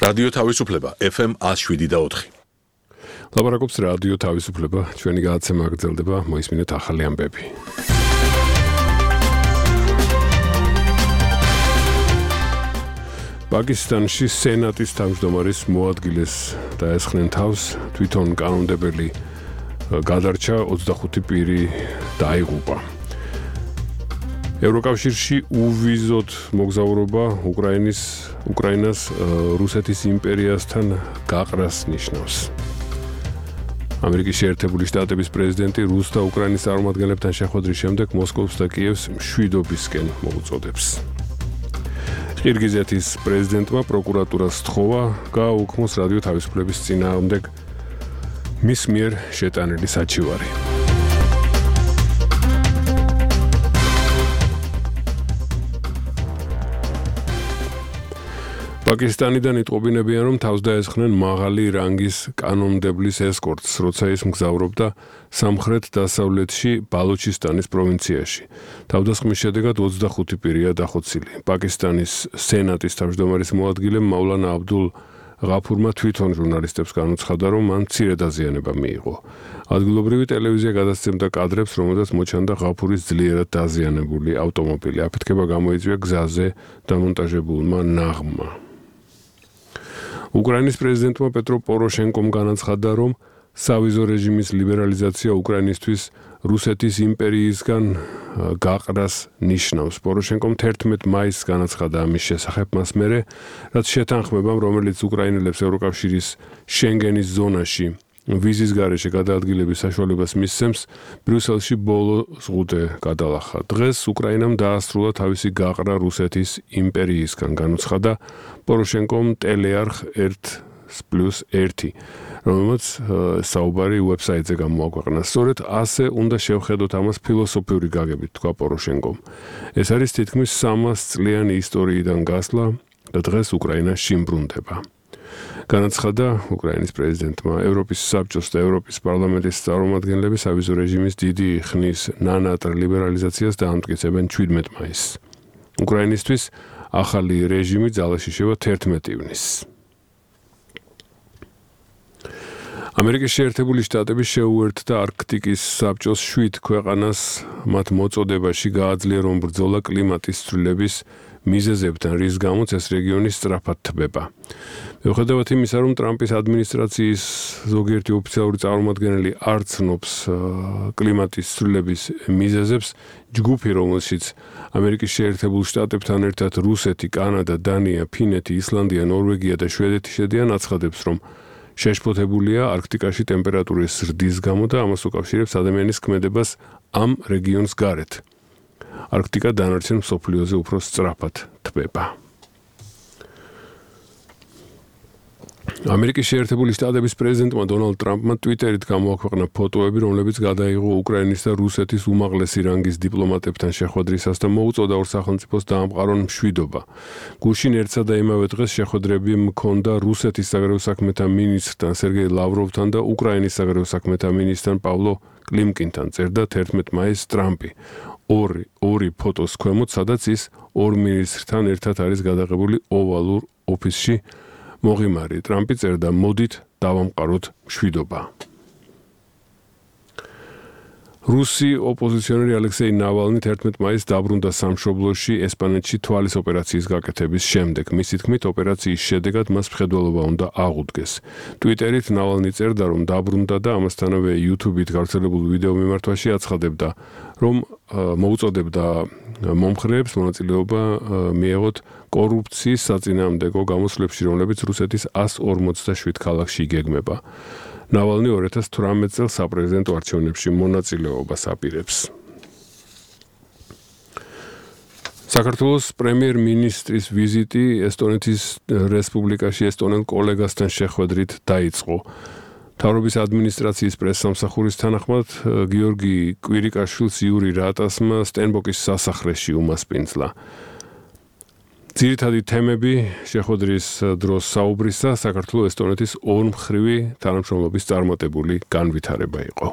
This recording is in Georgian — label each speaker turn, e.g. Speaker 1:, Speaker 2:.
Speaker 1: რადიო თავისუფლება FM 107.4.
Speaker 2: ლაპარაკობს რადიო თავისუფლება, ჩვენი გადაცემა გრძელდება, მოისმინეთ ახალი ამბები. პაკისტანში სენატის თავმჯდომარის მოადგილეს დაესხნენ თავს, თვითონ კანონმდებელი გადარჩა 25 პირი დაიღუპა. ევროკავშირში უვიზოდ მოგზაურობა უკრაინას რუსეთის იმპერიასთან გაყრას ნიშნავს. ამერიკის შეერთებული შტატების პრეზიდენტი რუს და უკრაინის წარმომადგენლებთან შეხვედრის შემდეგ მოსკოვს და კიევს მშვიდობისკენ მოუწოდებს. ყირგიზეთის პრეზიდენტმა პროკურატურას სთხოვა გააუქმოს რადიო თავისუფლების წინააღმდეგ მის მიერ შეტანილი საჩივარი. პაკისტანიდან იტყობინებიან, რომ თავს დაესხნენ მაღალი რანგის კანონმდებლის ესკორტს, როცა ის მგზავრობდა სამხრეთ-დასავლეთში ბალუჩისტანის პროვინციაში. თავდასხმის შედეგად 25 პირია დახოცილი. პაკისტანის სენატის თავმჯდომარის მოადგილემ მავლანა აბდულ ღაფურმა თვითონ ჟურნალისტებს განუცხადა, რომ მან მცირე დაზიანება მიიღო. ადგილობრივი ტელევიზია გადასცემდა კადრებს, რომელზეც მოჩანდა ღაფურის ძლიერად დაზიანებული ავტომობილი. აფეთქება გამოიწვია გზაზე დამონტაჟებულმა ნაღმმა. უკრაინის პრეზიდენტმა პეტრო პოროშენკომ განაცხადა, რომ სავიზო რეჟიმის ლიბერალიზაცია უკრაინისთვის რუსეთის იმპერიისგან გაყრას ნიშნავს. პოროშენკომ 11 მაისს განაცხადა ამის შესახებ მას მერე, რაც შეთანხმებამ, რომელიც უკრაინელებს ევროკავშირის შენგენის ზონაში ვიზის გარეშე გადაადგილების საშუალებას მისცემს, ბრიუსელში ბოლო ზღუდე გადალახა. დღეს უკრაინამ დაასრულა თავისი გაყრა რუსეთის იმპერიისგან, განუცხადა პოროშენკომ ტელეარხ 1+1, რომელმაც საუბარი ვებსაიტზე გამოაქვეყნა. სწორედ ასე უნდა შევხედოთ ამას ფილოსოფიური გაგებით, თქვა პოროშენკომ. ეს არის თითქმის 300 წლიანი ისტორიიდან გასვლა და დღეს უკრაინა შიმბრუნდება. განაცხადა უკრაინის პრეზიდენტმა, ევროპის საბჭოს და ევროპის პარლამენტის წარმომადგენლები სავიზო რეჟიმის დიდი ხნის ნანატრ ლიბერალიზაციას დაამტკიცებენ 17 მაისს. უკრაინისთვის ახალი რეჟიმი ძალაში შევა 11 ივნისს. ამერიკის შეერთებული შტატები შეუერთდა არქტიკის საბჭოს 7 ქვეყანას მათ მოწოდებაში გააძლიერონ ბრძოლა კლიმატის ცვლილების მიზეზებთან, რის გამოც ეს რეგიონი სწრაფად თბება. მიუხედავად იმისა, რომ ტრამპის ადმინისტრაციის ზოგიერთი ოფიციალური წარმომადგენელი არ ცნობს კლიმატის ცვლილების მიზეზებს, ჯგუფი, რომელშიც ამერიკის შეერთებულ შტატებთან ერთად რუსეთი, კანადა, დანია, ფინეთი, ისლანდია, ნორვეგია და შვედეთი შედიან, აცხადებს, რომ შეშფოთებულია არქტიკაში ტემპერატურის ზრდის გამო და ამას უკავშირებს ადამიანის ქმედებას ამ რეგიონს გარეთ. არქტიკა დანარჩენ მსოფლიოზე უფრო სწრაფად თბება. ამერიკის შეერთებული შტატების პრეზიდენტმა დონალდ ტრამპმა ტვიტერით გამოაქვეყნა ფოტოები, რომლებიც გადაიღო უკრაინის და რუსეთის უმაღლესი რანგის დიპლომატებთან შეხვედრისას და მოუწოდა ორ სახელმწიფოს დაამყარონ მშვიდობა. გუშინ ერთსა და იმავე დღეს შეხვედრები მქონდა რუსეთის საგარეო საქმეთა მინისტრთან სერგეი ლავროვთან და უკრაინის საგარეო საქმეთა მინისტრთან პავლო კლიმკინთან, წერდა 11 მაისს ტრამპი. ორი ფოტოს ქვემოთ, სადაც ის ორ მინისტრთან ერთად არის გადაღებული ოვალურ ოფისში მოღიმარი. ტრამპი წერდა, მოდით დავამყაროთ მშვიდობა. რუსი ოპოზიციონერი ალექსეი ნავალნი 11 მაისს დაბრუნდა სამშობლოში ესპანეთში თვალის ოპერაციის გაკეთების შემდეგ. მისი თქმით, ოპერაციის შედეგად მას მხედველობა უნდა აღუდგეს. ტვიტერით ნავალნი წერდა, რომ დაბრუნდა და ამასთანავე YouTube-ით გავრცელებულ ვიდეო მიმართვაში აცხადებდა, რომ მოუწოდებდა მომხრეებს მონაწილეობა მიეღოთ კორუფციის საწინააღმდეგო გამოსვლებში, რომლებიც რუსეთის 147 ქალაქში იგეგმება. ნავალნი 2018 წელს საპრეზიდენტო არჩევნებში მონაწილეობას აპირებს. საქართველოს პრემიერ-მინისტრის ვიზიტი ესტონეთის რესპუბლიკაში ესტონელ კოლეგასთან შეხვედრით დაიწყო. მთავრობის ადმინისტრაციის პრესსამსახურის თანახმად გიორგი კვირიკაშვილს იური რატასმა სტენბოკის სასახლეში უმასპინძლა. ძირითადი თემები შეხვედრის დროს საუბრისა საქართველოს ესტონეთის ორმხრივი თანამშრომლობის წარმატებული განვითარება იყო.